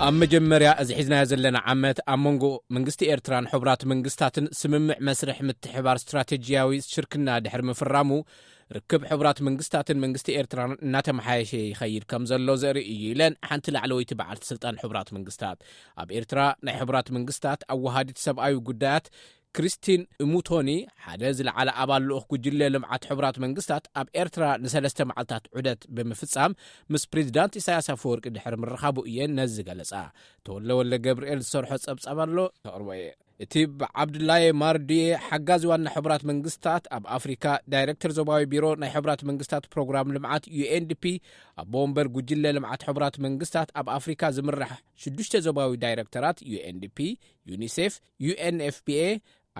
ኣብ መጀመርያ እዚ ሒዝናዮ ዘለና ዓመት ኣብ መንጎ መንግስቲ ኤርትራን ሕቡራት መንግስታትን ስምምዕ መስርሕ ምትሕባር ስትራቴጂያዊ ሽርክና ድሕሪ ምፍራሙ፣ ርክብ ሕቡራት መንግስታትን መንግስቲ ኤርትራን እናተመሓየሸ ይኸይድ ከም ዘሎ ዘርኢ እዩ ኢለን ሓንቲ ላዕለወይቲ በዓልቲ ስልጣን ሕቡራት መንግስታት። ኣብ ኤርትራ ናይ ሕቡራት መንግስታት ኣወሃዲት ሰብኣዊ ጉዳያት ክሪስቲን እሙቶኒ፣ ሓደ ዝለዓለ ኣባል ልኡኽ ጉጅለ ልምዓት ሕቡራት መንግስታት ኣብ ኤርትራ ንሰለስተ መዓልታት ዑደት ብምፍጻም ምስ ፕሬዚዳንት ኢሳያስ ኣፈወርቂ ድሕሪ ምርኻቡ እየን ነዚ ዝገለጻ። ተወለ ወለ ገብርኤል ዝሰርሖ ጸብጻብ ኣሎ፣ ተቕርቦ እየ። እቲ ብዓብዱላየ ማርዱየ ሓጋዚ ዋና ሕቡራት መንግስታት ኣብ ኣፍሪካ ዳይሬክተር ዞባዊ ቢሮ ናይ ሕቡራት መንግስታት ፕሮግራም ልምዓት ዩ ኤን ዲ ፒ፣ ኣቦ ወንበር ጉጅለ ልምዓት ሕቡራት መንግስታት ኣብ ኣፍሪካ ዝምራሕ ሽዱሽተ ዞባዊ ዳይሬክተራት ዩ ኤን ዲ ፒ፣ ዩኒሴፍ፣ ዩ ኤን ኤፍ ፒ ኤ፣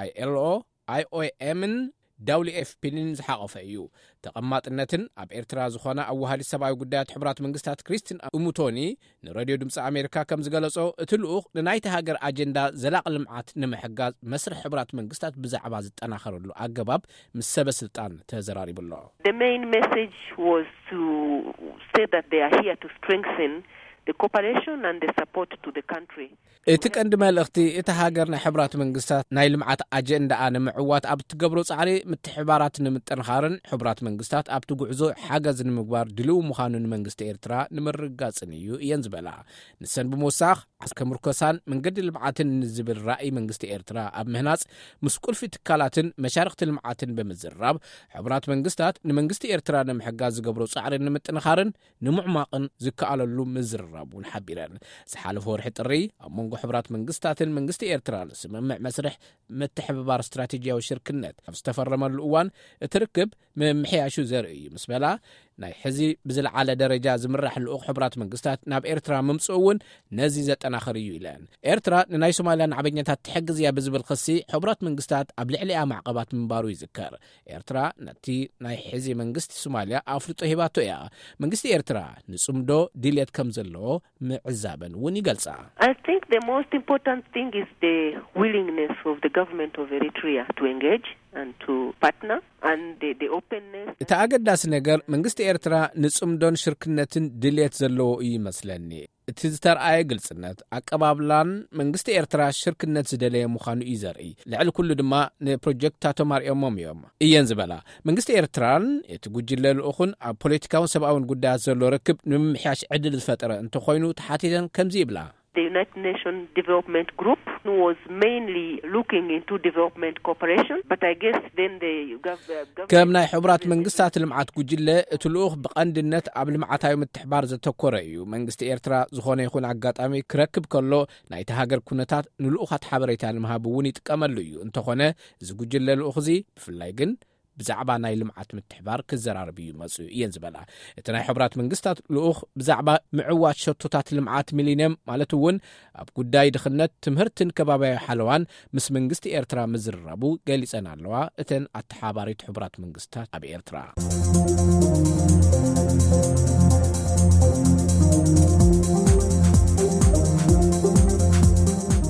ኣይ ኤል ኦ፣ ኣይ ኦ ኤምን ዳብሊው ኤፍ ፒን ዝሓቐፈ እዩ። ተቐማጥነትን ኣብ ኤርትራ ዝኾነ ኣዋሃዲ ሰብኣዊ ጉዳያት ሕቡራት መንግስታት ክሪስቲን እሙቶኒ ንሬድዮ ድምፂ ኣሜሪካ ከም ዝገለጾ፣ እቲ ልኡኽ ንናይቲ ሃገር ኣጀንዳ ዘላቒ ልምዓት ንምሕጋዝ መስርሕ ሕቡራት መንግስታት ብዛዕባ ዝጠናኸረሉ ኣገባብ ምስ ሰበ ስልጣን ተዘራሪቡ ኣሎ። The main message was to say that they are here to strengthen the cooperation and the support to the country. እቲ ቀንዲ መልእኽቲ፣ እቲ ሃገር ናይ ሕቡራት መንግስታት ናይ ልምዓት ኣጀንዳኣ ንምዕዋት ኣብ እትገብሮ ጻዕሪ ምትሕባራት ንምጥንኻርን ሕቡራት መንግስታት ኣብቲ ጉዕዞ ሓገዝ ንምግባር ድልው ምዃኑ ንመንግስቲ ኤርትራ ንምርግጋጽን እዩ እየን ዝበላ። ንሰን ብምውሳኽ፣ ዓስከ ምርኮሳን መንገዲ ልምዓትን ንዝብል ራእይ መንግስቲ ኤርትራ ኣብ ምህናጽ፣ ምስ ቁልፊ ትካላትን መሻርኽቲ ልምዓትን ብምዝራብ፣ ሕቡራት መንግስታት ንመንግስቲ ኤርትራ ንምሕጋዝ ዝገብሮ ጻዕሪ ንምጥንኻርን ንምዕማቕን ዝከኣለሉ ምዝርራብ እውን ሓቢረን። ዝሓለፈ ወርሒ ጥሪ ኣብ መንጎ ሕቡራት መንግስታትን መንግስቲ ኤርትራን ስምምዕ መስርሕ ምትሕብባር ስትራቴጂያዊ ሽርክነት ኣብ ዝተፈረመሉ እዋን፣ እቲ ርክብ ምምሕያሹ ዘርኢ እዩ ምስ በላ፣ ናይ ሕዚ ብዝለዓለ ደረጃ ዝምራሕ ልኡኽ ሕቡራት መንግስታት ናብ ኤርትራ ምምፅኡ እውን ነዚ ዘጠናኽር እዩ ኢለን። ኤርትራ ንናይ ሶማልያ ናዕበኛታት ትሕግዝ እያ ብዝብል ክሲ ሕቡራት መንግስታት ኣብ ልዕሊኣ ማዕቐባት ምንባሩ ይዝከር። ኤርትራ ነቲ ናይ ሕዚ መንግስቲ ሶማልያ ኣፍልጦ ሂባቶ እያ። መንግስቲ ኤርትራ ንጽምዶ ድልየት ከም ዘለዎ ምዕዛበን እውን ይገልጻ። I think the most important thing is the willingness of the government of Eritrea to engage and to partner and the, the openness. እቲ ኣገዳሲ ነገር መንግስቲ ኤርትራ ንጽምዶን ሽርክነትን ድልየት ዘለዎ እዩ ይመስለኒ። እቲ ዝተርኣየ ግልጽነት ኣቀባብላን መንግስቲ ኤርትራ ሽርክነት ዝደለየ ምዃኑ እዩ ዘርኢ። ልዕሊ ኩሉ ድማ ንፕሮጀክትታቶም ኣርእዮሞም እዮም እየን ዝበላ። መንግስቲ ኤርትራን እቲ ጉጅለ ልኡኹን ኣብ ፖለቲካውን ሰብኣውን ጉዳያት ዘሎ ርክብ ንምምሕያሽ ዕድል ዝፈጠረ እንተኾይኑ ተሓቲተን ከምዚ ይብላ። The United Nations Development Group was mainly looking into development cooperation, but I guess then the gov- uh, government ከም ናይ ሕቡራት መንግስታት ልምዓት ጉጅለ፣ እቲ ልኡኽ ብቐንድነት ኣብ ልምዓታዊ ምትሕባር ዘተኮረ እዩ። መንግስቲ ኤርትራ ዝኾነ ይኹን ኣጋጣሚ ክረክብ ከሎ፣ ናይቲ ሃገር ኩነታት ንልኡኻት ሓበሬታ ንምሃብ እውን ይጥቀመሉ እዩ። እንተኾነ፣ እዚ ጉጅለ ልኡኽ እዚ ብፍላይ ግን ብዛዕባ ናይ ልምዓት ምትሕባር ክዘራረብ እዩ መጽኡ እየን ዝበላ። እቲ ናይ ሕቡራት መንግስታት ልኡኽ ብዛዕባ ምዕዋት ሸቶታት ልምዓት ሚሊንየም፣ ማለት እውን ኣብ ጉዳይ ድኽነት፣ ትምህርትን ከባብያዊ ሓለዋን ምስ መንግስቲ ኤርትራ ምዝርራቡ ገሊጸን ኣለዋ፣ እተን ኣተሓባሪት ሕቡራት መንግስታት ኣብ ኤርትራ።